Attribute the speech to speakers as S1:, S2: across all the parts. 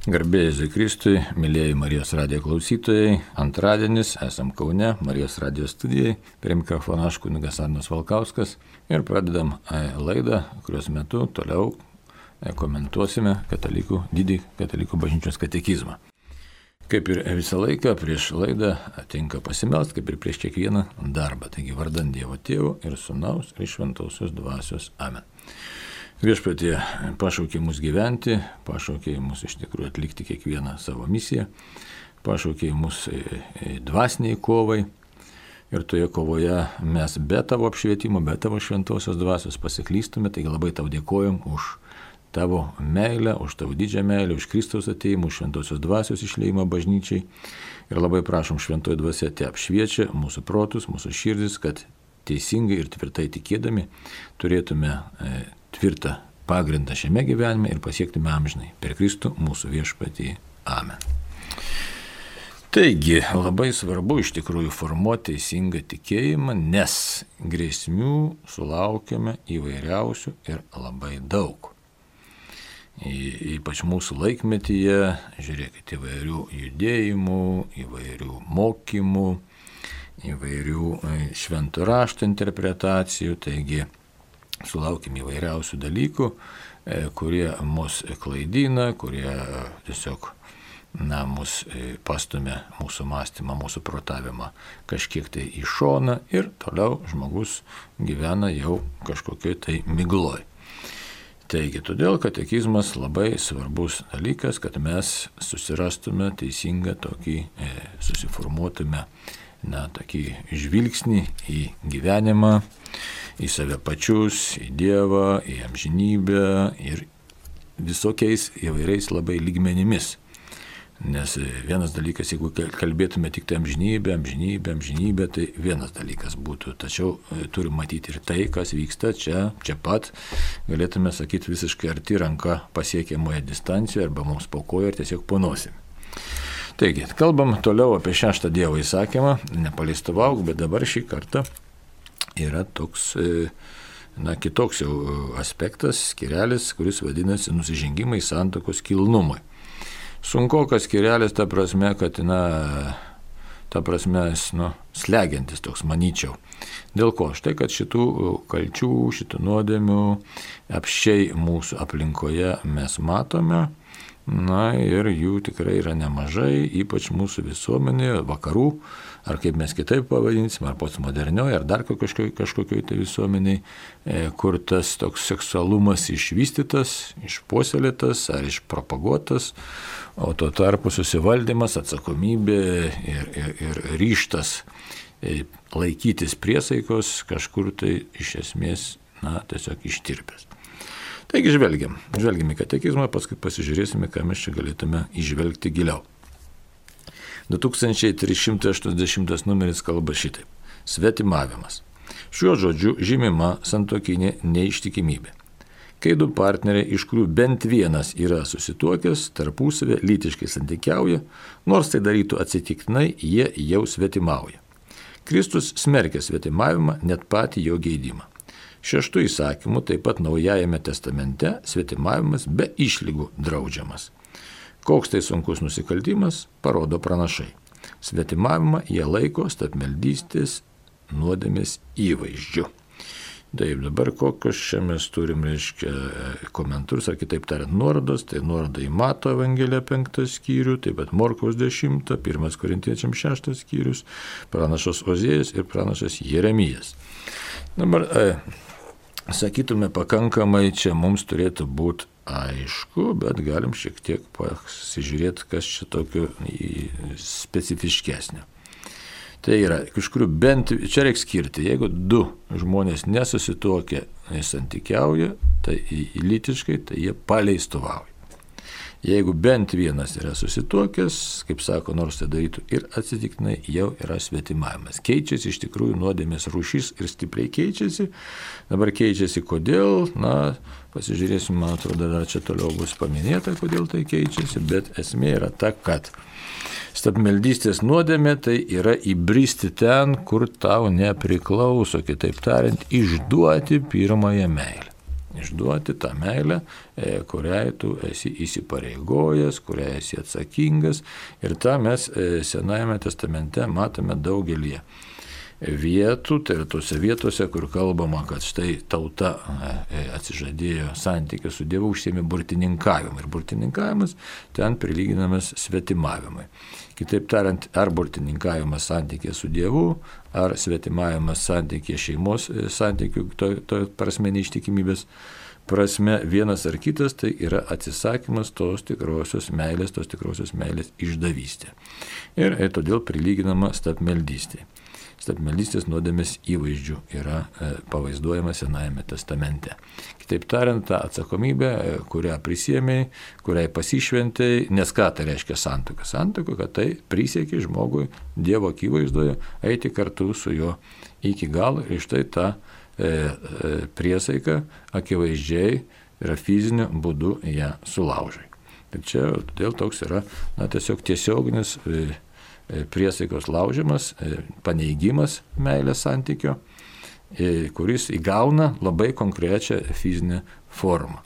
S1: Garbė Jėzui Kristui, mėlyjeji Marijos radijo klausytojai, antradienis, esam Kaune, Marijos radijo studijai, prie mikrofono aš kunigas Arnas Valkauskas ir pradedam laidą, kurios metu toliau komentuosime didį katalikų bažnyčios katekizmą. Kaip ir visą laiką prieš laidą tinka pasimelst, kaip ir prieš kiekvieną darbą. Taigi vardant Dievo Tėvo ir Sūnaus ir Šventosios Dvasios. Amen. Viešpatie pašaukė mus gyventi, pašaukė mus iš tikrųjų atlikti kiekvieną savo misiją, pašaukė mus dvasiniai kovai ir toje kovoje mes be tavo apšvietimo, be tavo šventosios dvasios pasiklystume, taigi labai tau dėkojom už tavo meilę, už tavo didžią meilę, už Kristaus atėjimą, už šventosios dvasios išleimą bažnyčiai ir labai prašom šventoji dvasia te apšviečia mūsų protus, mūsų širdis, kad teisingai ir tvirtai tikėdami turėtume tvirtą pagrindą šiame gyvenime ir pasiektume amžinai per Kristų mūsų viešpatį. Amen. Taigi, labai svarbu iš tikrųjų formuoti teisingą tikėjimą, nes grėsmių sulaukiame įvairiausių ir labai daug. Ypač mūsų laikmetyje, žiūrėkit, įvairių judėjimų, įvairių mokymų, įvairių švento rašto interpretacijų, taigi sulaukim įvairiausių dalykų, kurie mus klaidina, kurie tiesiog mus pastumia mūsų mąstymą, mūsų protavimą kažkiek tai į šoną ir toliau žmogus gyvena jau kažkokioj tai migloj. Taigi, todėl katekizmas labai svarbus dalykas, kad mes susirastume teisingą tokį, susiformuotume tokį žvilgsnį į gyvenimą, į save pačius, į Dievą, į amžinybę ir visokiais įvairiais labai lygmenimis. Nes vienas dalykas, jeigu kalbėtume tik tai amžinybę, tai vienas dalykas būtų. Tačiau turim matyti ir tai, kas vyksta čia pat, galėtume sakyti visiškai arti ranka pasiekiamoje distancijoje arba mums po kojo ir tiesiog po nosim. Taigi, kalbam toliau apie 6 Dievo įsakymą, nepaleistavauk, bet dabar šį kartą yra toks, kitoks jau aspektas, skyrelis, kuris vadinasi nusižengimai santuokos kilnumui. Sunkokas skyrelis, ta prasme, kad, slegiantis toks, manyčiau. Dėl ko? Štai, kad šitų kalčių, šitų nuodėmių apsčiai mūsų aplinkoje mes matome, ir jų tikrai yra nemažai, ypač mūsų visuomenėje, vakarų, ar kaip mes kitaip pavadinsim, ar postmodernioje, ar dar kažkokioj tai visuomeniai, kur tas toks seksualumas išvystytas, išpuoselėtas ar išpropaguotas, o tuo tarpu susivaldymas, atsakomybė ir ryžtas laikytis priesaikos kažkur tai iš esmės, tiesiog ištirpęs. Taigi žvelgiam į katekizmą, paskui pasižiūrėsime, ką mes čia galėtume įžvelgti giliau. 2380 numeris kalba šitaip. Svetimavimas. Šiuo žodžiu žymima santuokinė neištikimybė. Kai du partneriai, iš kurių bent vienas yra susituokęs, tarpusavę lytiškai santykiauja, nors tai darytų atsitiktinai, jie jau svetimauja. Kristus smerkia svetimavimą, net patį jo geidimą. 6 įsakymu, taip pat Naujajame testamente, svetimavimas be išlygų draudžiamas. Koks tai sunkus nusikaltimas, parodo pranašai. Svetimavimą jie laiko stabmeldystės nuodėmės įvaizdžiu. Taip, dabar kokios čia mes turim, komentarus, ar kitaip tariant, nuorodos, tai nuoroda į Mato Evangeliją 5 skyrių, taip pat Morkaus 10, 1 Korintiečiams 6 skyrius, pranašas Ozėjas ir pranašas Jeremijas. Dabar, sakytume, pakankamai čia mums turėtų būti aišku, bet galim šiek tiek pasižiūrėti, kas čia tokio specifiškesnio. Tai yra, kažkurių bent, čia reikia skirti, jeigu 2 žmonės nesusituokia, santykiauja, tai lytiškai, tai jie paleistuvauja. Jeigu bent vienas yra susituokęs, kaip sako, nors tai darytų ir atsitiktinai, jau yra svetimavimas. Keičiasi iš tikrųjų nuodėmės rūšis ir stipriai keičiasi. Dabar keičiasi kodėl, pasižiūrėsim, man atrodo, dar čia toliau bus paminėta, kodėl tai keičiasi, bet esmė yra ta, kad stabmeldystės nuodėmė tai yra įbristi ten, kur tau nepriklauso, kitaip tariant, išduoti pirmąją meilę. Išduoti tą meilę, kuriai tu esi įsipareigojęs, kuriai esi atsakingas. Ir tą mes Senajame testamente matome daugelį vietų, tai yra tose vietose, kur kalbama, kad štai tauta atsižadėjo santykių su Dievu, užsiėmė burtininkavimu. Ir burtininkavimas ten prilyginamas svetimavimui. Kitaip tariant, ar burtininkavimas santykė su Dievu, ar svetimavimas santykė šeimos santykių, to prasme neištikimybės prasme, vienas ar kitas, tai yra atsisakymas tos tikrosios meilės išdavystė. Ir todėl prilyginama stabmeldystė. Stabmeldystės nuodėmės įvaizdžių yra pavaizduojama Senajame testamente. Kitaip tariant, ta atsakomybė, kurią prisiėmei, kuriai pasišventei, nes ką tai reiškia santuoka? Santuoka, kad tai prisiekė žmogui Dievo akivaizdoje eiti kartu su juo iki galo ir štai ta priesaika akivaizdžiai yra fiziniu būdu ją sulaužai. Tai čia todėl toks yra tiesiog tiesioginis priesaikos laužimas, paneigimas meilės santykio, kuris įgauna labai konkrečią fizinę formą.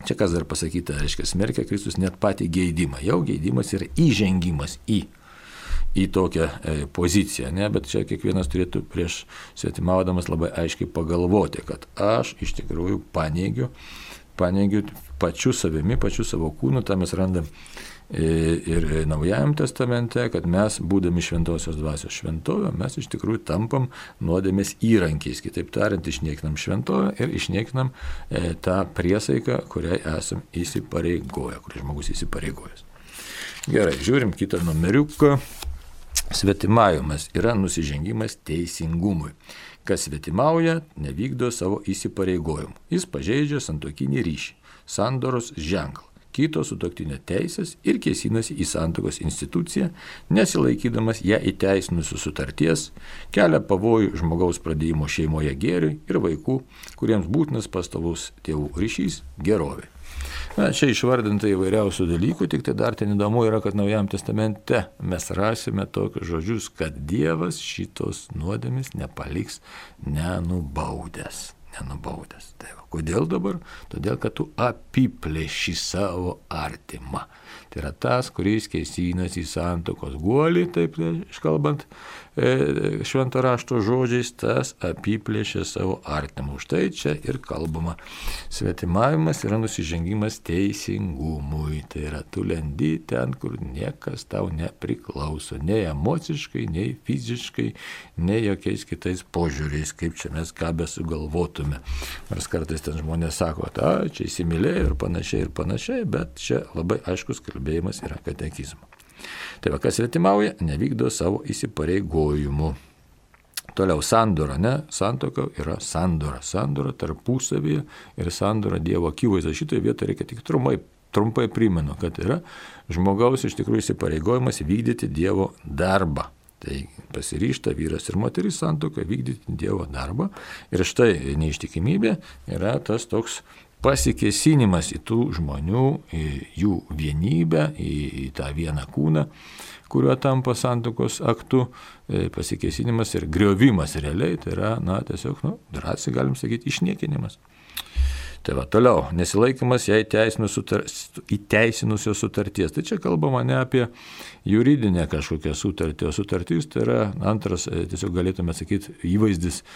S1: Čia kas dar pasakyta, reiškia, smerkia Kristus net patį geidimą. Jau geidimas yra įžengimas į tokią poziciją, ne? Bet čia kiekvienas turėtų prieš svetimaudamas labai aiškiai pagalvoti, kad aš iš tikrųjų paneigiu pačiu savimi, pačiu savo kūnu, tą mes randam ir Naujajam testamente, kad mes, būdami šventosios dvasios šventovė, mes iš tikrųjų tampam nuodėmės įrankiais. Kitaip tariant, išniekinam šventovę ir išniekinam tą priesaiką, kuriai esam įsipareigoję, kurį žmogus įsipareigojęs. Gerai, žiūrim kitą numeriuką. Svetimavimas yra nusižengimas teisingumui. Kas svetimauja, nevykdo savo įsipareigojimų. Jis pažeidžia santuokinį ryšį, sandoros ženklą, kito sutuoktinio teisės ir kėsinasi į santuokos instituciją, nesilaikydamas ją įteisinusios sutarties, kelia pavojų žmogaus pradėjimo šeimoje gėriui ir vaikų, kuriems būtinas pastovus tėvų ryšys gerovė. Čia išvardinta įvairiausių dalykų, tik tai dar ten įdomu yra, kad Naujajam testamente mes rasime tokius žodžius, kad Dievas šitos nuodėmės nepaliks nenubaudęs. Tai va, kodėl dabar? Todėl, kad tu apiplėši savo artimą. Tai yra tas, kuris kėsinasi į santuokos guolį, taip iškalbant švento rašto žodžiais, tas apiplėšė savo artimą. Už tai čia ir kalbama. Svetimavimas yra nusižengimas teisingumui. Tai yra, tu lendi ten, kur niekas tau nepriklauso. Nei emociškai, nei fiziškai, nei jokiais kitais požiūriais, kaip čia mes ką besugalvotume. Nors kartais ten žmonės sako, čia įsimylėjo ir panašiai, bet čia labai aiškus kalbėjimas yra katekizmo. Tai va, kas svetimauja, nevykdo savo įsipareigojimų. Toliau sandora, ne? Santuoka yra sandora. Sandora tarpusavyje ir sandora Dievo akivaizdoje. Šitoje vietoje reikia tik trumpai primenu, kad yra žmogaus iš tikrųjų įsipareigojimas vykdyti Dievo darbą. Tai pasiryžta vyras ir moteris santuokoje vykdyti Dievo darbą. Ir štai neištikimybė yra tas toks pasikėsinimas į tų žmonių, į jų vienybę, į tą vieną kūną, kuriuo tampa santuokos aktu, pasikėsinimas ir griovimas realiai, tai yra, tiesiog, drąsiai galim sakyti, išniekinimas. Tai va, toliau, nesilaikymas ją įteisinusios sutarties. Tai čia kalbama ne apie juridinę kažkokią sutartį, o sutartis tai yra antras, tiesiog galėtume sakyti, įvaizdis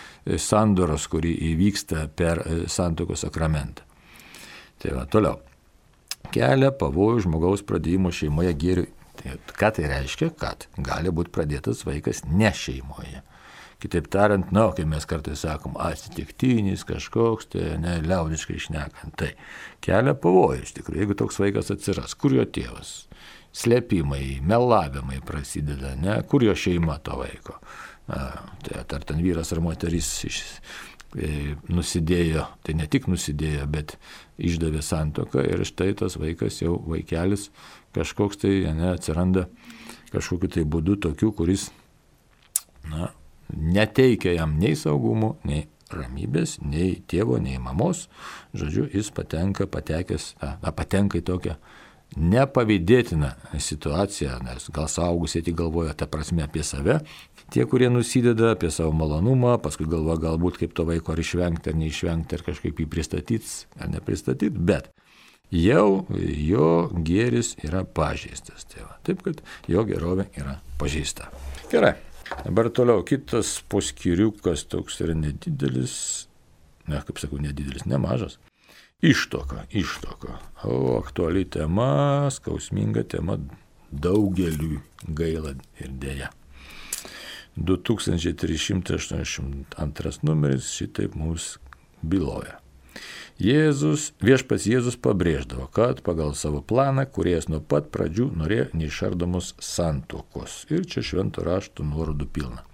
S1: sandoros, kuri įvyksta per santuokos sakramentą. Tai va, toliau. Kelia pavojų žmogaus pradėjimo šeimoje gėriui. Tai, ką tai reiškia? Kad gali būti pradėtas vaikas ne šeimoje. Kitaip tariant, kai mes kartais sakom, atsitiktinis kažkoks, tai liaudiškai šnekant, tai kelia pavojų iš tikrųjų, jeigu toks vaikas atsiras, kur jo tėvas, slėpimai, melavimai prasideda, kur jo šeima to vaiko. Tai ar ten vyras ar moteris nusidėjo, tai ne tik nusidėjo, bet išdavė santuoką ir štai tas vaikas jau vaikelis kažkoks tai atsiranda kažkokiu tai būdu tokiu, kuris neteikia jam nei saugumo, nei ramybės, nei tėvo, nei mamos. Žodžiu, jis patenka į tokią nepavydėtina situacija, nes gal suaugusiai tik galvoja tą prasme apie save, tie, kurie nusideda apie savo malonumą, paskui galvoja galbūt kaip to vaiko ar išvengti, ar neišvengti, ar kažkaip jį pristatyti, ar nepristatyti, bet jau jo gėris yra pažeistas. Tai va, taip, kad jo gerovė yra pažeista. Gerai, dabar toliau kitas poskyriukas toks yra nedidelis, kaip sakau, nedidelis, nemažas. Ištuoka. O aktuali tema, skausminga tema daugeliui gaila ir dėja. 2382 numeris šitaip mums byloja. Viešpats Jėzus pabrėždavo, kad pagal savo planą, kuriejas nuo pat pradžių norėjo neišardomos santuokos. Ir čia švento rašto nuorodų pilna.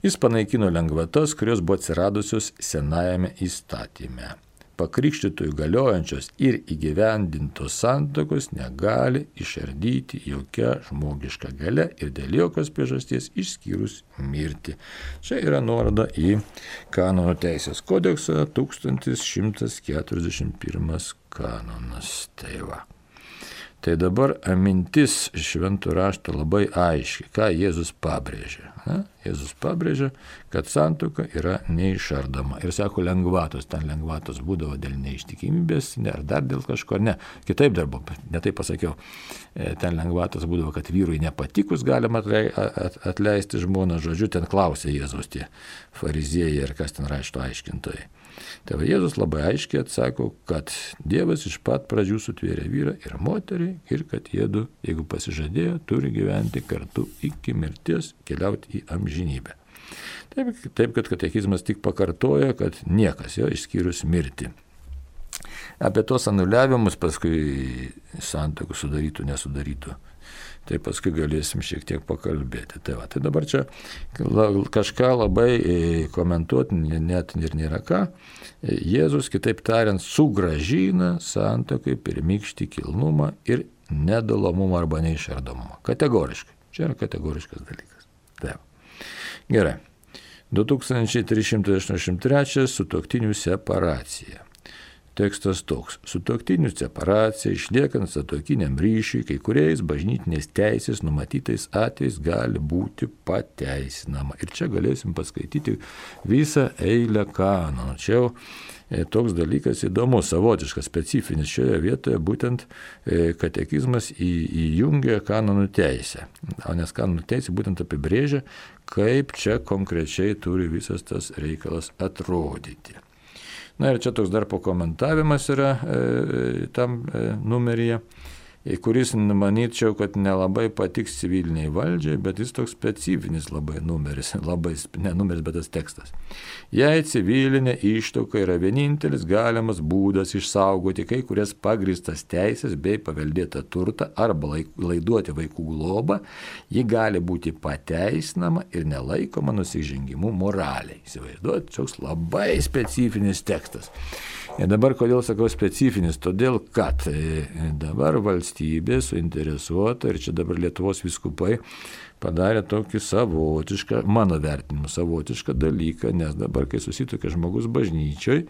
S1: Jis panaikino lengvatas, kurios buvo atsiradusios senajame įstatyme. Pakrikštytojų galiojančios ir įgyvendintos santuokos negali išardyti jokia žmogiška galia ir dėl jokios priežasties išskyrus mirtį. Čia yra nuoroda į Kanonų teisės kodeksą 1141 kanonas. Tai va. Tai dabar mintis šventų rašto labai aiški, ką Jėzus pabrėžė. Jėzus pabrėžė, kad santuoka yra neišardoma. Ir sako lengvatos, ten lengvatos būdavo dėl neištikimybės, ar dar dėl kažko, ne. Kitaip dar buvo, ne taip pasakiau. Ten lengvatos būdavo, kad vyrui nepatikus galima atleisti žmoną, žodžiu, ten klausė Jėzus tie fariziejai ir kas ten rašto aiškintojai. Tai va, Jėzus labai aiškiai atsako, kad Dievas iš pat pradžių sutvėrė vyrą ir moterį ir kad jiedu, jeigu pasižadėjo, turi gyventi kartu iki mirties, keliauti į amžinybę. Taip, kad katekizmas tik pakartoja, kad niekas jo išskyrus mirtį. Apie tos anuliavimus paskui santuokų sudarytų, nesudarytų. Tai paskui galėsim šiek tiek pakalbėti. Tai dabar čia kažką labai komentuoti net ir nėra ką. Jėzus, kitaip tariant, sugrąžina santuokai pirmykštį kilnumą ir nedalomumą arba neišardomumą. Kategoriškai. Čia yra kategoriškas dalykas. Taip. Gerai. 2383 sutuoktinių separacija. Tekstas toks. Sutuoktinių separacija išliekant santuokiniam ryšiui, kai kuriais bažnytinės teisės numatytais atvejais gali būti pateisinama. Ir čia galėsim paskaityti visą eilę kanonų. Čia jau toks dalykas įdomus, savotiškas, specifinis šioje vietoje, būtent katekizmas įjungia kanonų teisę. Nes kanonų teisė būtent apibrėžia, kaip čia konkrečiai turi visas tas reikalas atrodyti. Na ir čia toks dar pakomentavimas yra tam numeryje, kuris manyčiau, kad nelabai patiks civiliniai valdžiai, bet jis toks specifinis labai numeris, bet tas tekstas. Jei civilinė ištuoka yra vienintelis galimas būdas išsaugoti kai kurias pagrįstas teisės bei paveldėtą turtą arba laiduoti vaikų globą, ji gali būti pateisinama ir nelaikoma nusižengimu moraliai. Įsivaizduoti, toks labai specifinis tekstas. Ir dabar kodėl sakau specifinis? Todėl, kad dabar valstybė suinteresuota ir čia dabar Lietuvos vyskupai padarė tokį savotišką, mano vertinimu, savotišką dalyką, nes dabar, kai susituokia žmogus bažnyčioj,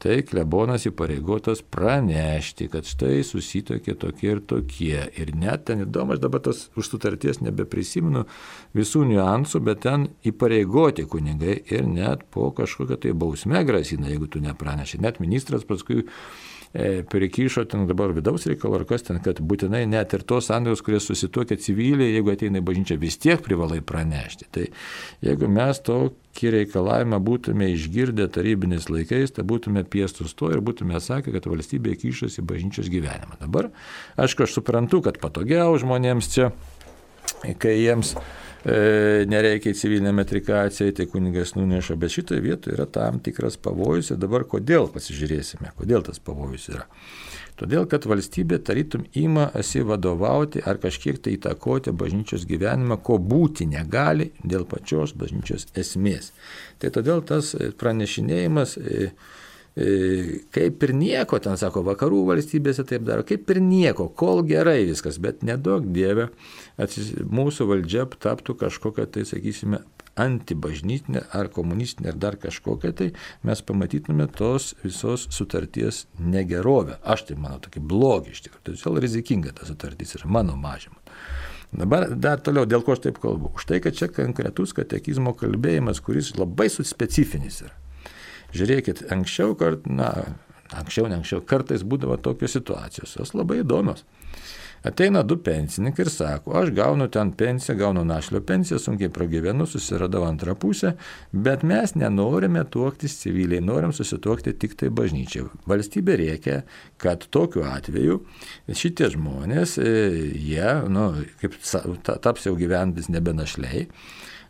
S1: tai klebonas įpareigotas pranešti, kad štai susituokė tokie ir tokie. Ir net ten įdomu, aš dabar tos už sutarties nebeprisimenu visų niuansų, bet ten įpareigoti kunigai ir net po kažkokią tai bausmę grasina, jeigu tu nepraneši. Net ministras paskui prikišo ten dabar vidaus reikalo ar kas ten, kad būtinai net ir tos santuokos, kurie susituokia civiliai, jeigu ateina į bažnyčią, vis tiek privalai pranešti. Tai jeigu mes tokį reikalavimą būtume išgirdę tarybiniais laikais, tai būtume piestus to ir būtume sakę, kad valstybė kišasi į bažnyčios gyvenimą. Dabar, aišku, aš suprantu, kad patogiau žmonėms čia, kai jiems nereikia į civilinę metrikaciją, tai kunigas nuneša, bet šitoje vietoje yra tam tikras pavojus ir dabar kodėl pasižiūrėsime, kodėl tas pavojus yra. Todėl, kad valstybė tarytum imasi vadovauti ar kažkiek tai įtakoti bažnyčios gyvenimą, ko būti negali dėl pačios bažnyčios esmės. Tai todėl tas pranešinėjimas kaip ir nieko, ten sako, vakarų valstybėse taip daro, kaip ir nieko, kol gerai viskas, bet nedaug Dieve mūsų valdžia taptų kažkokia, tai sakysime, antibažnytinė ar komunistinė ar dar kažkokia, tai mes pamatytume tos visos sutarties negerovę. Aš tai manau, tokį blogį iš tikrųjų. Todėl rizikinga ta sutartis yra mano mažymu. Dabar dar toliau, dėl ko aš taip kalbu. Už tai, kad čia konkretus katekizmo kalbėjimas, kuris labai specifinis yra. Žiūrėkit, anksčiau, kartais būdavo tokios situacijos, jos labai įdomios. Ateina du pensininkai ir sako, aš gaunu ten pensiją, gaunu našlio pensiją, sunkiai pragyvenu, susiradau antrą pusę, bet mes nenorime tuoktis civiliai, norim susituokti tik tai bažnyčiai. Valstybė reikia, kad tokiu atveju šitie žmonės, jie, kaip taps jau gyventis nebe našliai,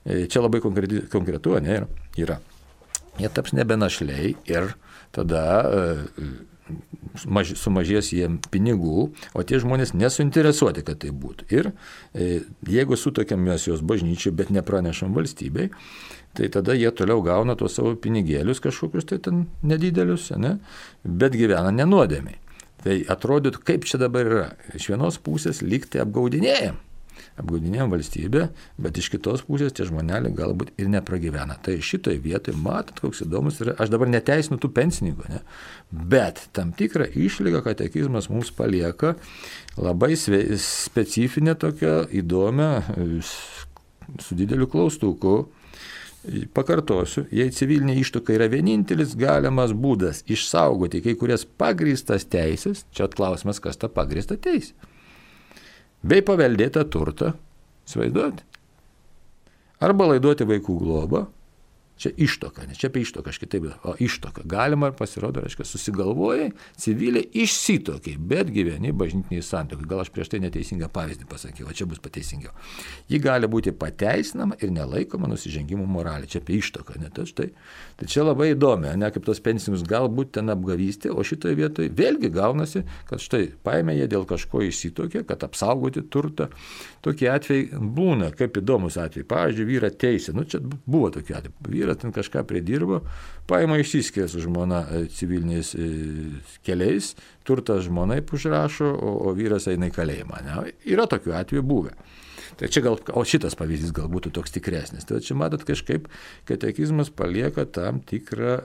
S1: čia labai konkretu, ne, yra. Jie taps nebe našliai ir tada sumažės jiem pinigų, o tie žmonės nesuinteresuoti, kad tai būtų. Ir jeigu sutokiam mes jos bažnyčiai, bet nepranešam valstybei, tai tada jie toliau gauna tuos savo pinigėlius kažkokius tai ten nedidelius, ne? Bet gyvena nenuodėmiai. Tai atrodytų, kaip čia dabar yra. Iš vienos pusės lyg tai apgaudinėjam valstybę, bet iš kitos pusės tie žmoneliai galbūt ir nepragyvena. Tai šitoj vietoj, matot, koks įdomus yra, aš dabar neteisinu tų pensininkų, ne? Bet tam tikrą išlygą katekizmas mums palieka labai specifinę tokią įdomią, su dideliu klaustuku. Pakartosiu, jei civilinė ištuoka yra vienintelis galimas būdas išsaugoti kai kurias pagrįstas teisės, čia klausimas, kas ta pagrįsta teisė, bei paveldėtą turtą, įsivaizduoti, arba laiduoti vaikų globą, čia ištuoka, ne čia apie ištuoką, aš kitaip, o ištuoka. Galima ir pasirodo, reiškia, susigalvojai, civiliai išsituokiai, bet gyveni bažnytiniai santuokai. Gal aš prieš tai neteisingą pavyzdį pasakiau, o čia bus pateisingiau. Ji gali būti pateisinama ir nelaikoma nusižengimų moralė. Čia apie ištuoką, ne tas štai. Tai čia labai įdomi, ne kaip tos pensininkus galbūt ten apgavystė, o šitoje vietoje vėlgi gaunasi, kad štai paėmė jie dėl kažko išsituokė, kad apsaugoti turtą. Tokie atvejai būna, kaip įdomus atvejai. Pavyzdžiui, vyrą teisė, čia buvo tokie atvejai. Vyras ten kažką pridirbo, paima išsiskiria su žmona civiliniais keliais, turtas žmonai užrašo, o vyras eina į kalėjimą. Ne? Yra tokių atvejų buvę. Tai čia o šitas pavyzdys gal būtų toks tikresnis. Tai čia matot kažkaip, katekizmas palieka tam tikrą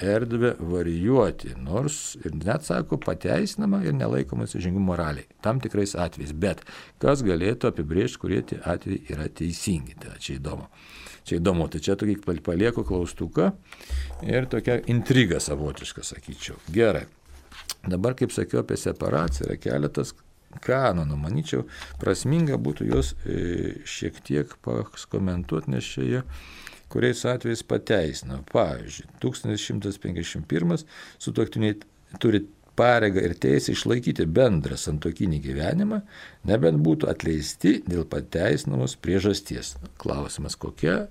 S1: erdvę varijuoti, nors ir net sako pateisinama ir nelaikoma nusižengimų moraliai, tam tikrais atvejais, bet kas galėtų apibrėžti, kurie tie atvejai yra teisingi. Tai čia įdomu. Tai čia tokį palieku klaustuką ir tokia intriga savotiška, sakyčiau. Gerai. Dabar, kaip sakiau, apie separaciją yra keletas kanonų. Manyčiau, prasminga būtų juos šiek tiek pakomentuoti, nes čia jie kuriais atvejais pateisina. Pavyzdžiui, 1151 sutuoktiniai turi pareigą ir teisę išlaikyti bendrą santuokinį gyvenimą, nebent būtų atleisti dėl pateisinamos priežasties. Klausimas, kokia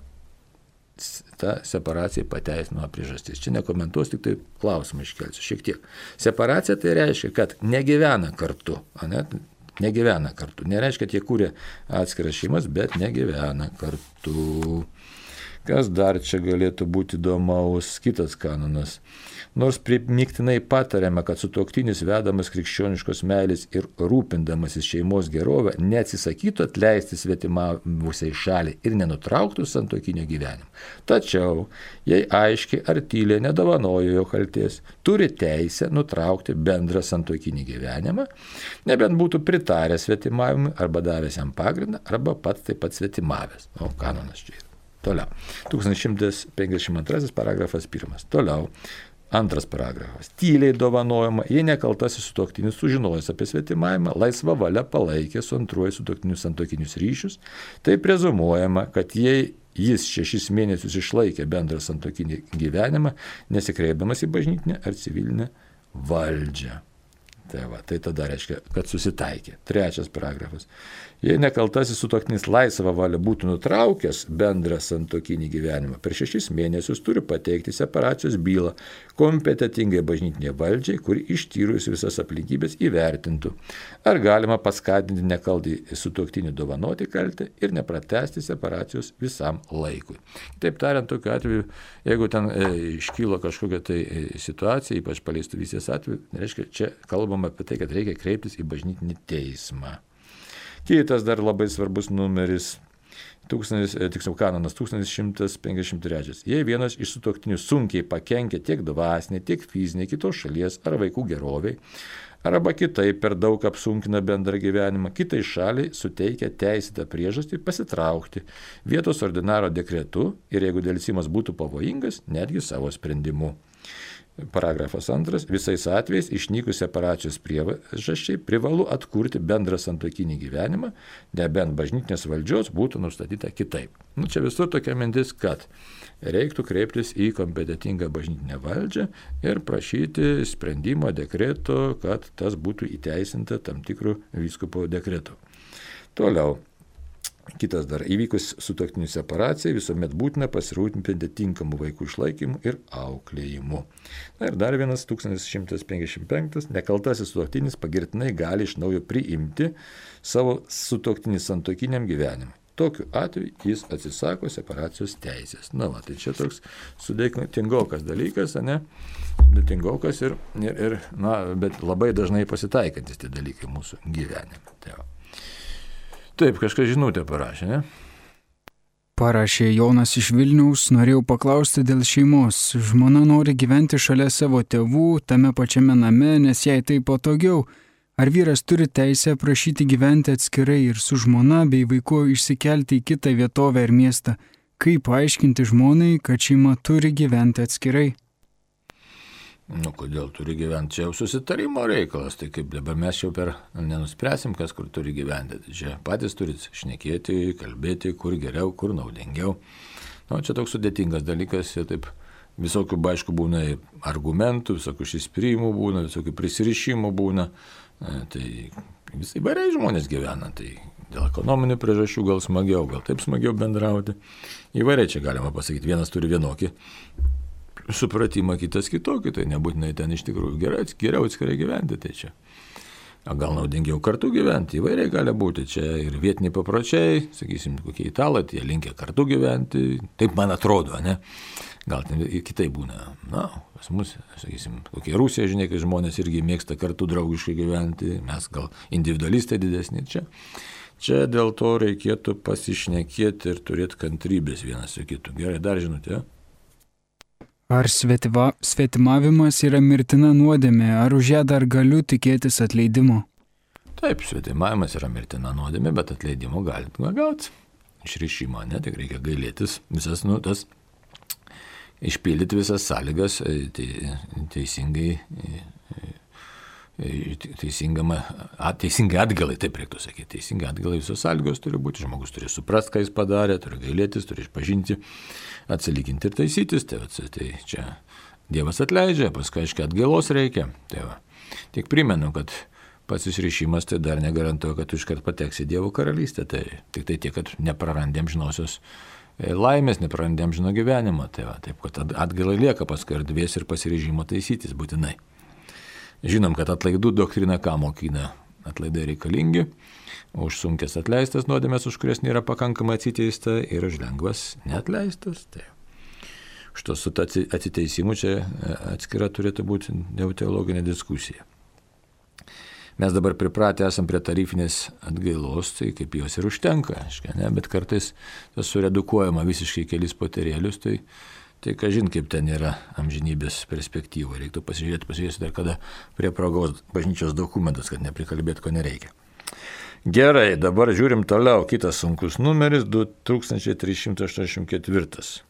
S1: ta separacija pateisinama priežastis. Čia nekomentuos, tik tai klausimą iškelsiu šiek tiek. Separacija tai reiškia, kad negyvena kartu, negyvena kartu. Nereiškia, kad jie kūrė atskiras šeimas, bet negyvena kartu. Kas dar čia galėtų būti įdomaus? Kitas kanonas. Nors primygtinai patariame, kad sutuoktinis vedamas krikščioniškos meilės ir rūpindamasis šeimos gerovę neatsisakytų atleisti svetimavusiai šaliai ir nenutrauktų santuokinio gyvenimo. Tačiau, jei aiškiai ar tyliai nedovanojo jo kaltės, turi teisę nutraukti bendrą santuokinį gyvenimą, nebent būtų pritaręs svetimavimui arba davęs jam pagrindą, arba pats taip pat svetimavęs. Kanonas čia yra. Toliau. 1152 paragrafas 1. Toliau. 2 paragrafas. Tyliai dovanojama, jei nekaltasis sutuoktinis sužinojęs apie svetimavimą, laisva valia palaikė su antruoju sutuoktiniu santuokinius ryšius, tai prezumuojama, kad jei jis 6 mėnesius išlaikė bendrą santuokinį gyvenimą, nesikreipdamas į bažnytinę ar civilinę valdžią. Tai tada reiškia, kad susitaikė. 3 paragrafas. Jei nekaltasis sutuoktinis laisvą valią būtų nutraukęs bendrą santuokinį gyvenimą, per 6 mėnesius turi pateikti separacijos bylą kompetentingai bažnytinė valdžiai, kuri ištyrus visas aplinkybės įvertintų, ar galima paskatinti nekaltį sutuoktinį dovanoti kaltę ir nepratęsti separacijos visam laikui. Taip tariant, tokiu atveju, jeigu ten iškylo kažkokia tai situacija, ypač paleistuvystės atveju, reiškia, čia kalbama apie tai, kad reikia kreiptis į bažnytinį teismą. Kitas dar labai svarbus numeris Tiksliau kanonas 1153. Jei vienas iš sutuoktinių sunkiai pakenkia tiek dvasinė, tiek fizinė kitos šalies ar vaikų geroviai, arba kitaip per daug apsunkina bendrą gyvenimą, kitai šaliai suteikia teisėtą priežastį pasitraukti vietos ordinaro dekretu ir jeigu dėlsimas būtų pavojingas, netgi savo sprendimu. Paragrafas 2. Visais atvejais išnykus separacijos priežasčiai privalu atkurti bendrą santuokinį gyvenimą, nebent bažnytinės valdžios būtų nustatyta kitaip. Čia visur tokia mintis, kad reiktų kreiptis į kompetentingą bažnytinę valdžią ir prašyti sprendimo dekreto, kad tas būtų įteisinta tam tikrų vyskupo dekretų. Toliau. Kitas dar, įvykus sutuoktinių separacijai visuomet būtina pasirūpinti tinkamų vaikų išlaikymu ir auklėjimu. Na ir dar vienas 1155. Nekaltasis sutuoktinis pagirtinai gali iš naujo priimti savo sutuoktinį santuokiniam gyvenimui. Tokiu atveju jis atsisako separacijos teisės. Tai čia toks sudėtingokas dalykas, sudėtingokas bet labai dažnai pasitaikantis tie dalykai mūsų gyvenime. Taip, kažkas žinutę parašė, ne?
S2: Parašė Jonas iš Vilniaus, norėjau paklausti dėl šeimos. Žmona nori gyventi šalia savo tėvų, tame pačiame name, nes jai tai patogiau. Ar vyras turi teisę prašyti gyventi atskirai ir su žmona bei vaiku išsikelti į kitą vietovę ar miestą? Kaip paaiškinti žmonai, kad šeima turi gyventi atskirai?
S1: Kodėl turi gyventi? Čia jau susitarimo reikalas, tai kaip dabar mes jau nenuspręsim, kas kur turi gyventi. Tai čia patys turit šnekėti, kalbėti, kur geriau, kur naudingiau. Čia toks sudėtingas dalykas ir taip visokių, aišku, būna argumentų, visokių išsispyrimo būna, visokių prisirišimų būna. Tai visai įvairiai žmonės gyvena, tai dėl ekonominių priežasčių gal smagiau, gal taip smagiau bendrauti. Įvairiai čia galima pasakyti, vienas turi vienokį supratimą, kitas kitokį, tai nebūtinai ten iš tikrųjų geriau atskirai gyventi, tai čia. Gal naudingiau kartu gyventi, įvairiai gali būti, čia ir vietiniai papročiai, sakysim, kokie italai, jie linkia kartu gyventi, taip man atrodo, ne? Gal ten ir kitai būna, pas mus, sakysim, kokie Rusija, žinai, kai žmonės irgi mėgsta kartu draugiškai gyventi, mes gal individualistai didesni čia. Čia dėl to reikėtų pasišnekėti ir turėti kantrybės vienas su kitu. Gerai, dar žinutė.
S2: Ar svetimavimas yra mirtina nuodėmė, ar už ją dar galiu tikėtis atleidimo?
S1: Taip, svetimavimas yra mirtina nuodėmė, bet atleidimo galite gauti. Išrišimą, tik reikia gailėtis visas, išpildyti visas sąlygas teisingai atgalai, taip reiktų sakyti. Teisingai atgalai visos sąlygos turi būti, žmogus turi suprasti, ką jis padarė, turi gailėtis, turi išpažinti, atsilyginti ir taisytis. Tai čia Dievas atleidžia, paskui aiškiai atgailos reikia. Tik primenu, kad pats išrišimas tai dar negarantuoja, kad tu iškart pateksi į Dievo karalystę. Tai tik tai tiek, kad neprarandėm žinosios laimės, neprarandėm žino gyvenimą. Taip, kad atgalai lieka paskui erdvės ir pasiryžimo taisytis būtinai. Žinom, kad atlaidų doktrina ką mokina? Atlaidai reikalingi, už sunkės atleistas nuodėmės, už kurias nėra pakankamai atsiteista ir už lengvas neatleistas. Tai šito su atsiteisimu čia atskira turėtų būti teologinė diskusija. Mes dabar pripratę esam prie tarifinės atgailos, tai kaip jos ir užtenka, bet kartais tas suredukuojama visiškai kelis poterėlius, tai kažin kaip ten yra amžinybės perspektyva. Reiktų pasižiūrėti dar kada prie progos bažnyčios dokumentas, kad neprikalbėti, ko nereikia. Gerai, dabar žiūrim toliau. Kitas sunkus numeris 2384.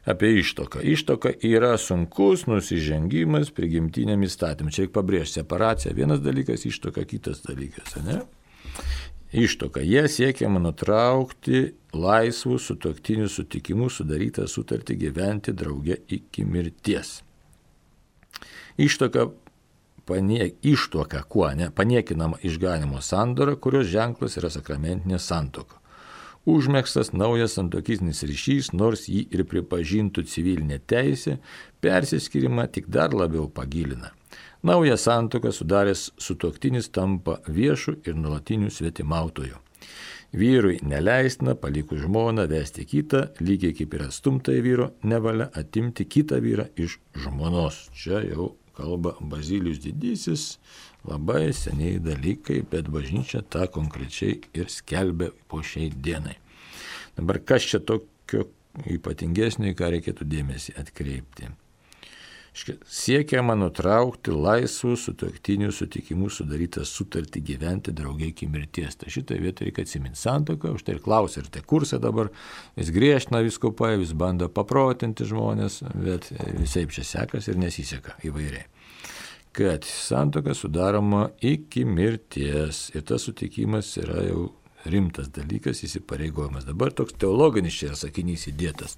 S1: Apie ištuoką. Ištuoka yra sunkus nusižengimas prigimtiniam įstatymui. Čia reikia pabrėžti separaciją. Vienas dalykas, ištuoka kitas dalykas, ne? Ištuoka. Jie siekiama nutraukti laisvų sutuoktinių sutikimų sudarytą sutartį gyventi drauge iki mirties. Ištuoka paniekinama išganimo sandora, kurios ženklas yra sakramentinė santuoka. Užmegztas naujas santuokinis ryšys, nors jį ir pripažintų civilinė teisė, persiskyrimą tik dar labiau pagilina. Naują santuoką sudaręs sutuoktinis tampa viešu ir nuolatiniu svetimautoju. Vyrui neleistina palikus žmoną vesti kitą, lygiai kaip ir atstumtai vyro nevalia atimti kitą vyrą iš žmonos. Čia jau kalba Bazilijus Didysis, labai seniai dalykai, bet bažnyčia tą konkrečiai ir skelbia po šiai dienai. Dabar kas čia tokio ypatingesnio, į ką reikėtų dėmesį atkreipti? Siekiama nutraukti laisvų sutuoktinių sutikimų sudarytą sutartį gyventi drauge iki mirties. Tai šitoje vietoje reikia atsiminti santuoką, už tai ir klausia, ir tai kursai dabar, vis griežtina vyskupai, vis bando paprotinti žmonės, bet visai čia sekasi ir nesiseka įvairiai. Kad santuoka sudaroma iki mirties ir tas sutikimas yra jau rimtas dalykas, įsipareigojimas. Dabar toks teologinis čia yra sakinys įdėtas.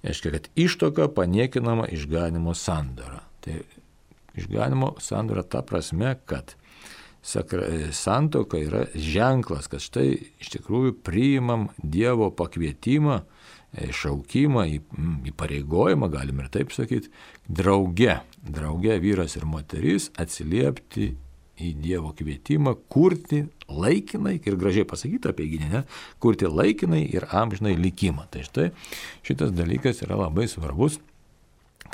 S1: Reiškia, kad ištuoka paniekinama išganimo sandora. Tai išganimo sandora ta prasme, kad santuoka yra ženklas, kad štai iš tikrųjų priimam Dievo pakvietimą, šaukimą, įpareigojimą, galim ir taip sakyti, drauge vyras ir moteris atsiliepti į Dievo kvietimą, kurti laikinai, ir gražiai pasakyta apie gynę, kurti laikinai ir amžinai likimą. Tai štai šitas dalykas yra labai svarbus,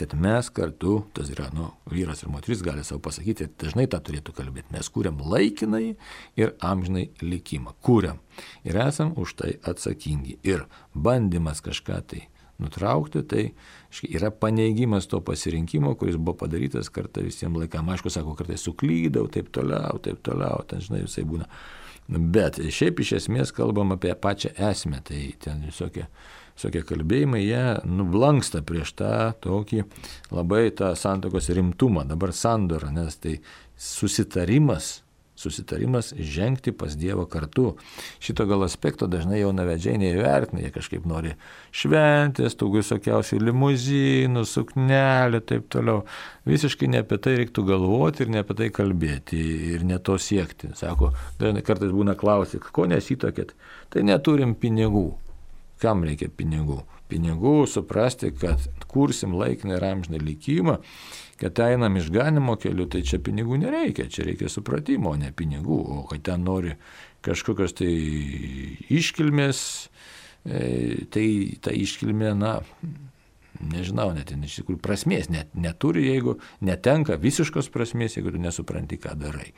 S1: kad mes kartu, tas yra, vyras ir moteris gali savo pasakyti, dažnai tą turėtų kalbėti, mes kūriam laikinai ir amžinai likimą. Kūriam ir esam už tai atsakingi. Ir bandymas kažką tai nutraukti, tai yra paneigimas to pasirinkimo, kuris buvo padarytas kartą visiems laikam. Aišku, sako, kartais suklydau, taip toliau, ten žinai, visai būna. Bet šiaip iš esmės kalbam apie pačią esmę, tai ten visokie kalbėjimai, jie nublanksta prieš tą tokį labai tą santuokos rimtumą. Dabar sandora, nes tai susitarimas žengti pas Dievą kartu. Šito gal aspekto dažnai jaunavedžiai neįvertina, jie kažkaip nori šventės, tų visokiausių limuzinų, suknelių, taip toliau. Visiškai ne apie tai reiktų galvoti ir ne apie tai kalbėti ir ne to siekti. Sako, dažnai kartais būna klausyk, ko nesitokėt? Tai neturim pinigų. Kam reikia pinigų? Pinigų suprasti, kad kursim laikiną ir amžiną likimą, kad einam išganimo keliu, tai čia pinigų nereikia, čia reikia supratimo, o ne pinigų. O kad ten nori kažkokios tai iškilmės, tai ta iškilmė, nežinau, net iš tikrųjų prasmės neturi, jeigu netenka visiškos prasmės, jeigu tu nesupranti, ką darai.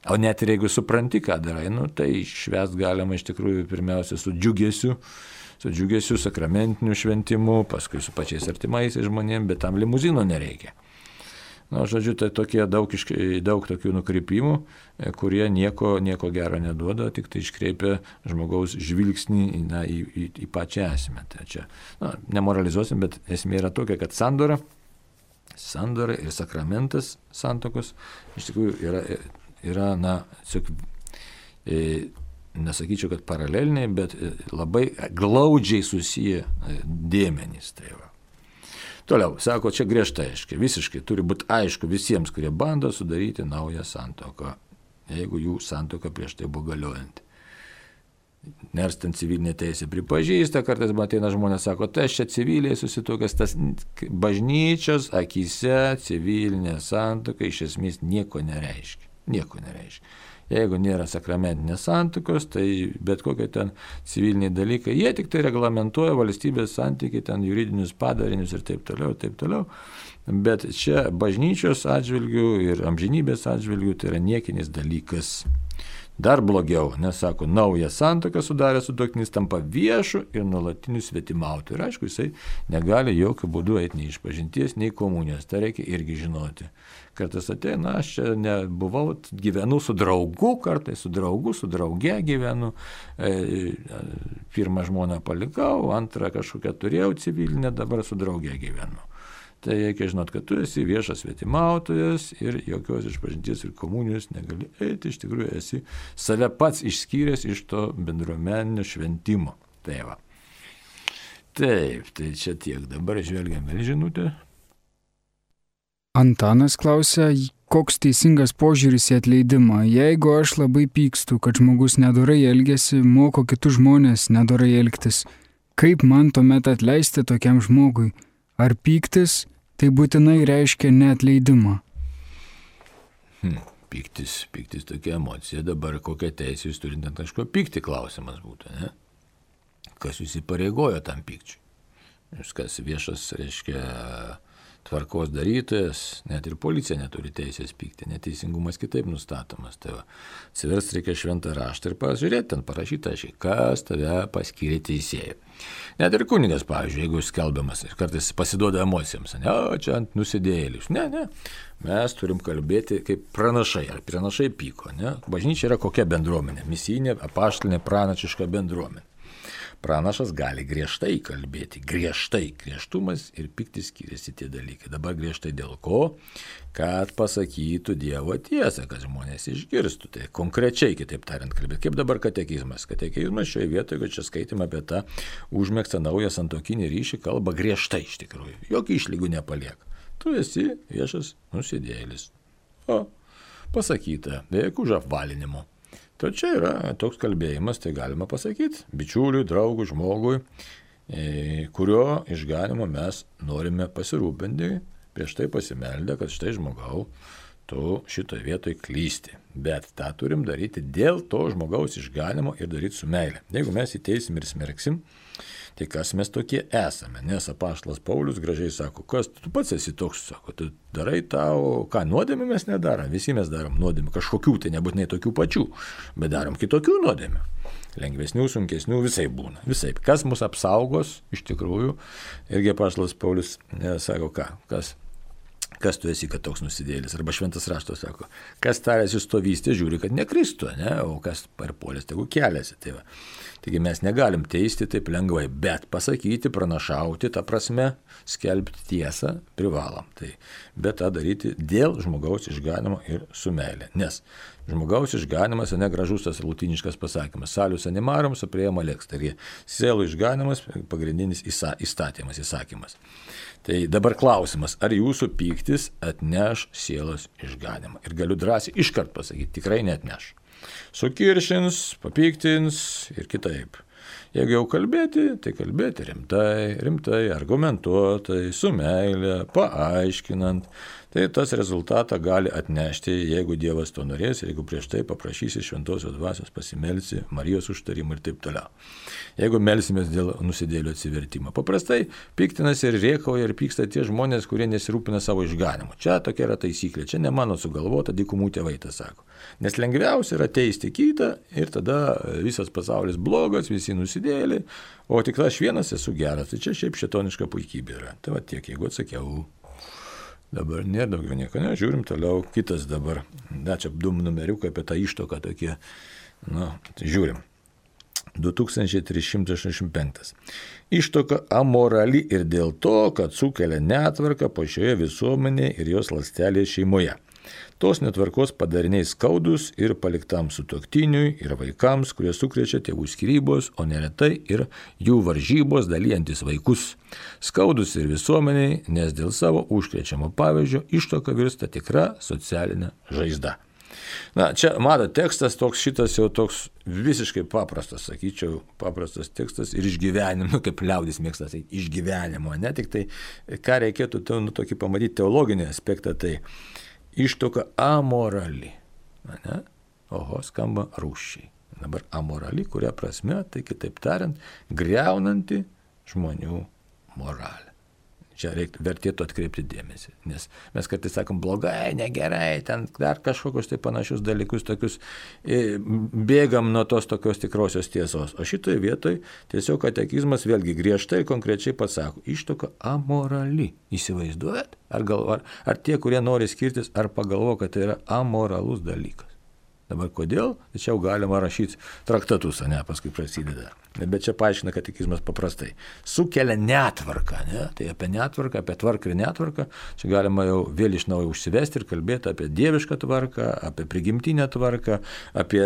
S1: O net ir jeigu supranti, ką darai, tai švęst galima iš tikrųjų pirmiausia su džiugesiu, sakramentiniu šventimu, paskui su pačiais artimaisiais žmonėms, bet tam limuzino nereikia. Žodžiu, tai tokie daug tokių nukrypimų, kurie nieko gero neduoda, tik tai iškreipia žmogaus žvilgsnį į pačią esmę. Tai čia, nemoralizuosim, bet esmė yra tokia, kad sandora ir sakramentas santuokos iš tikrųjų yra nesakyčiau, kad paraleliniai, bet labai glaudžiai susiję dėmenys. Tai va. Toliau, sako, čia griežtai aiškiai, visiškai turi būti aišku visiems, kurie bando sudaryti naują santuoką, jeigu jų santuoka prieš tai buvo galiojanti. Nors ten civilinė teisė pripažįsta, kartais ateina žmonės, sako, tai aš čia civiliai susituokęs, tas bažnyčios akyse civilinė santuoka iš esmės nieko nereiškia. Jeigu nėra sakramentinės santuokos, tai bet kokie ten civiliniai dalykai, jie tik tai reglamentuoja valstybės santykiai, ten juridinius padarinius ir taip toliau. Bet čia bažnyčios atžvilgių ir amžinybės atžvilgių tai yra niekinis dalykas. Dar blogiau, nes sako, naują santuoką sudarė sutuoktinis tampa viešu ir nuolatiniu svetimautoju. Ir aišku, jisai negali jokių būdų eiti nei išpažinties, nei komunijos. Tai reikia irgi žinoti. Kartais ateina, aš čia nebuvau, gyvenu su draugu, kartais su drauge gyvenu. Pirmą žmoną palikau, antrą kažkokią turėjau civilinę, dabar su drauge gyvenu. Tai reikia žinot, kad tu esi viešas svetimautojas ir jokios išpažinties ir komunijos negali eiti, iš tikrųjų esi save pats išskyręs iš to bendruomeninio šventimo. Tai va. Taip, tai čia tiek. Dabar žvelgiam vėl žinutę.
S2: Antanas klausia, koks teisingas požiūris į atleidimą. Jeigu aš labai pykstu, kad žmogus nedorai elgiasi, moko kitus žmonės nedorai elgtis, kaip man tuomet atleisti tokiam žmogui? Ar pyktis tai būtinai reiškia neatleidimą?
S1: Pyktis tokia emocija. Dabar kokią teisę jūs turite ant kažko pykti, klausimas būtų, ne? Kas jūs įpareigojo tam pykčiui? Kas viešas, reiškia, tvarkos darytojas, net ir policija neturi teisės pykti, neteisingumas kitaip nustatomas. Tai va, atsiversti reikia šventą raštą ir pažiūrėti, ten parašyta, kas tave paskyrė teisėjai. Net ir kunigas, pavyzdžiui, jeigu skelbiamas ir kartais pasiduoda emocijoms, čia ant nusidėjėlius. Ne, mes turim kalbėti kaip pranašai, ar pranašai pyko. Ne? Bažnyčia yra kokia bendruomenė, misijinė, apaštalinė, pranašiška bendruomenė. Pranašas gali griežtai kalbėti, griežtumas ir pyktis skiriasi tie dalykai. Dabar griežtai dėl ko? Kad pasakytų Dievo tiesą, kad žmonės išgirstų. Tai konkrečiai, kitaip tariant, kalbėti. Kaip dabar katekizmas. Katekizmas šioje vietoje, kad čia skaitime apie tą užmegztą naują santuokinį ryšį, kalba griežtai iš tikrųjų. Jokių išlygų nepalieka. Tu esi viešas nusidėjėlis. O, pasakyta, be jokių apvalinimų. Tai čia yra toks kalbėjimas, tai galima pasakyti, bičiuliui, draugui, žmogui, kurio išganimo mes norime pasirūpinti, prieš tai pasimeldę, kad štai žmogau, tu šitoje vietoje klysti. Bet tą turim daryti dėl to žmogaus išganimo ir daryti su meile. Jeigu mes įteisim ir smerksim, tai kas mes tokie esame? Nes apaštalas Paulius gražiai sako, kas tu pats esi toks, sako, tu darai tau, ką nuodėmę mes nedarom, visi mes darom nuodėmę, kažkokių, tai nebūtinai tokių pačių, bet darom kitokių nuodėmę. Lengvesnių, sunkesnių, visai būna. Visai. Kas mus apsaugos, iš tikrųjų, irgi apaštalas Paulius sako, kas tu esi, kad toks nusidėlis, arba šventas raštas sako, kas tarėsi stovystė, žiūri, kad nekristų, ne? O kas parpuolės, tegu keliasi. Tai va. Taigi mes negalim teisti taip lengvai, bet pasakyti, pranašauti, ta prasme, skelbti tiesą privalom. Tai, bet tą daryti dėl žmogaus išganimo ir su meilė. Nes žmogaus išganimas, negražus tas lotyniškas pasakymas, salius animarum supriema lex, tai sielų išganimas pagrindinis įsakymas. Tai dabar klausimas, ar jūsų pyktis atneš sielos išganimą? Ir galiu drąsiai iškart pasakyti, tikrai neatneš. Sukiršins, papiktins ir kitaip. Jeigu jau kalbėti, tai kalbėti rimtai, argumentuotai, su meile, paaiškinant. Tai tas rezultatą gali atnešti, jeigu Dievas to norės, jeigu prieš tai paprašysi šventosios dvasios, pasimelsi, Marijos užtarimą ir taip toliau. Jeigu melsimės dėl nusidėlio atsivertimo. Paprastai piktinasi ir rėkauja ir pyksta tie žmonės, kurie nesirūpina savo išganimu. Čia tokia yra taisyklė, čia ne mano sugalvota, dykumų tėvai tą sako. Nes lengviausia yra teisti kitą ir tada visas pasaulis blogas, visi nusidėliai, o tik aš vienas esu geras. Tai čia šiaip šėtoniška puikybė yra. Tai va tiek, jeigu atsakiau. Dabar nėra daugiau nieko, ne, žiūrim toliau, kitas dabar, čia du numeriukai apie tą ištoką tokie, tai žiūrim. 2385. Ištoka amorali ir dėl to, kad sukelia netvarką pačioje visuomenėje ir jos ląstelėje šeimoje. Tos netvarkos padariniai skaudus ir paliktam sutuoktiniui ir vaikams, kurie sukrečia tėvų skyrybos, o neretai ir jų varžybos dalyjantis vaikus. Skaudus ir visuomeniai, nes dėl savo užkrečiamo pavyzdžio ištoka virsta tikra socialinė žaizda. Čia mato tekstas šitas jau toks visiškai paprastas, sakyčiau, paprastas tekstas ir išgyvenimo, kaip liaudis mėgsta sakyti, išgyvenimo, ne tik tai, ką reikėtų tokį pamatyti teologinį aspektą, tai ištoka amorali. Oho, skamba rūsčiai. Dabar amorali, kuria prasme, tai kitaip tariant, griaunanti žmonių moralę. Čia vertėtų atkreipti dėmesį, nes mes kartais sakom blogai, negerai, ten dar kažkokius tai panašius dalykus, tokius bėgam nuo tos tokios tikrosios tiesos. O šitoje vietoje tiesiog katekizmas vėlgi griežtai ir konkrečiai pasako, ištoka amorali. Įsivaizduojat? Ar tie, kurie nori skirtis, ar pagalvo, kad tai yra amoralus dalykas? Dabar kodėl? Tai čia jau galima rašyti traktatus, paskui prasideda. Bet čia paaiškina katekizmas paprastai. Sukelia netvarką, tai apie netvarką, apie tvarką ir netvarką, čia galima jau vėl iš naujo užsivesti ir kalbėti apie dievišką tvarką, apie prigimtinę tvarką, apie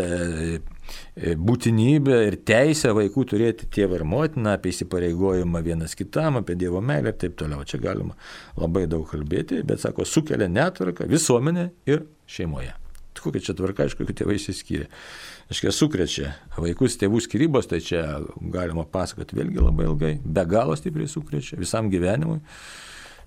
S1: būtinybę ir teisę vaikų turėti tėvą ir motiną, apie įsipareigojimą vienas kitam, apie Dievo meilę ir taip toliau. Čia galima labai daug kalbėti, bet sako, sukelia netvarką visuomenė ir šeimoje. Kokia čia tvarka, aišku, kad tėvai išsiskyrė. Sukrečia vaikus tėvų skyrybos, tai čia galima pasakoti vėlgi labai ilgai, be galo stipriai sukrečia visam gyvenimui.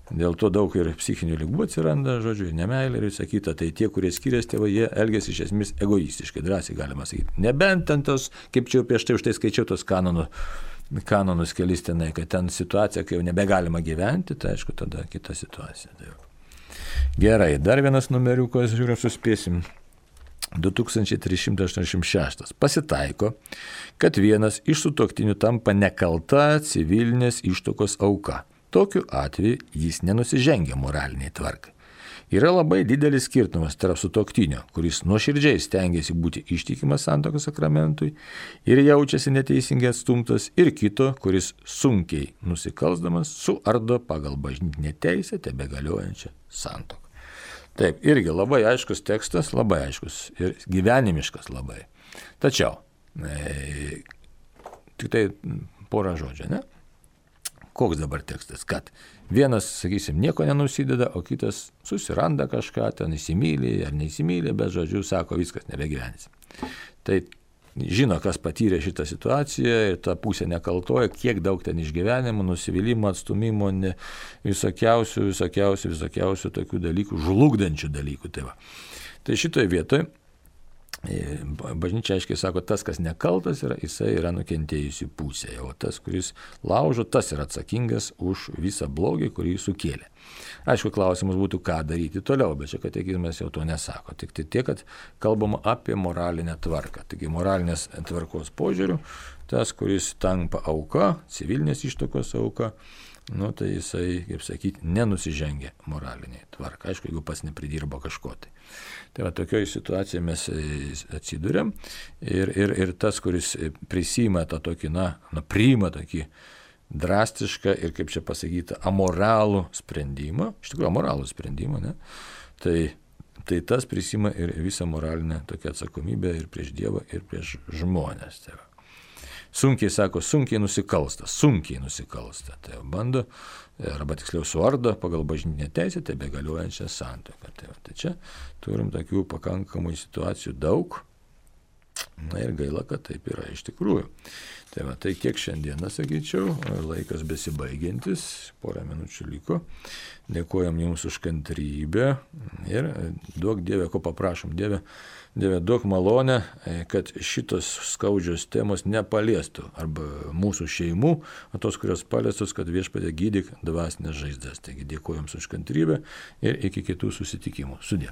S1: Dėl to daug ir psichinių ligų atsiranda, nemeilė ir visa kita. Tai tie, kurie skiriasi tėvai, jie elgiasi iš esmės egoistiškai, drąsiai galima sakyti. Nebent ten tos, kaip čia prieš tai už tai skaičiau tos kanonų kanonus kelis tenai, kad ten situacija, kai jau nebegalima gyventi, tai aišku, tada kita situacija. Tai gerai, dar vienas numeriukas, žiūrėjau, suspėsim. 2386. Pasitaiko, kad vienas iš sutuoktinių tampa nekalta civilinės ištuokos auka. Tokiu atveju jis nenusižengia moraliniai tvarkai. Yra labai didelis skirtumas tarp sutuoktinio, kuris nuoširdžiai stengiasi būti ištikimas santuokos sakramentui ir jaučiasi neteisingai atstumtas, ir kito, kuris sunkiai nusikalsdamas suardo pagal bažnytinę teisę tebegaliojančią santuoką. Taip, irgi labai aiškus tekstas, labai aiškus ir gyvenimiškas labai. Tačiau, tik tai porą žodžių, ne? Koks dabar tekstas? Kad vienas, sakysim, nieko nenusideda, o kitas susiranda kažką, ten įsimylė ar neįsimylė, bet žodžiu sako, viskas nebegyvenys. Tai žino, kas patyrė šitą situaciją ir ta pusė nekaltoja, kiek daug ten išgyvenimų, nusivylimų, atstumimo, visokiausių tokių dalykų, žlugdančių dalykų. Tai šitoje vietoje bažnyčia aiškiai sako, tas, kas nekaltas yra, jisai yra nukentėjusi pusėje, o tas, kuris laužo, tas yra atsakingas už visą blogį, kurį sukėlė. Aišku, klausimas būtų, ką daryti toliau, bet čia katekizmas jau to nesako. Tik tai tiek, kad kalbama apie moralinę tvarką. Taigi moralinės tvarkos požiūrių, tas, kuris tampa auka, civilinės ištuokos auka, tai jisai, kaip sakyti, nenusižengia moraliniai tvarka. Aišku, jeigu pas nepridirbo kažko tai. Tai va, tokioje situacijoje mes atsiduriam ir tas, kuris prisima tą tokį, priima tokį drastišką ir, kaip čia pasakyta, amoralų sprendimą, iš tikrųjų amoralų sprendimą, ne? Tai tas prisima ir visą moralinę tokią atsakomybę ir prieš Dievą, ir prieš žmonės. Tai sunkiai sako, sunkiai nusikalsta. Tai bando, arba tiksliau suardo pagal bažnytinę teisę, tai begaliojančią santuoką. Tai čia turim tokių pakankamų situacijų daug. Ir gaila, kad taip yra iš tikrųjų. Tai kiek šiandieną, sakyčiau, laikas besibaigiantis, porą minučių liko. Dėkojam Jums už kantrybę ir duok Dieve, ko paprašom Dieve, duok malonę, kad šitos skaudžios temos nepaliestų arba mūsų šeimų, o tos, kurios paliestos, kad Viešpatie gydyk dvasinės žaizdas. Taigi dėkojam už kantrybę ir iki kitų susitikimų. Sudie.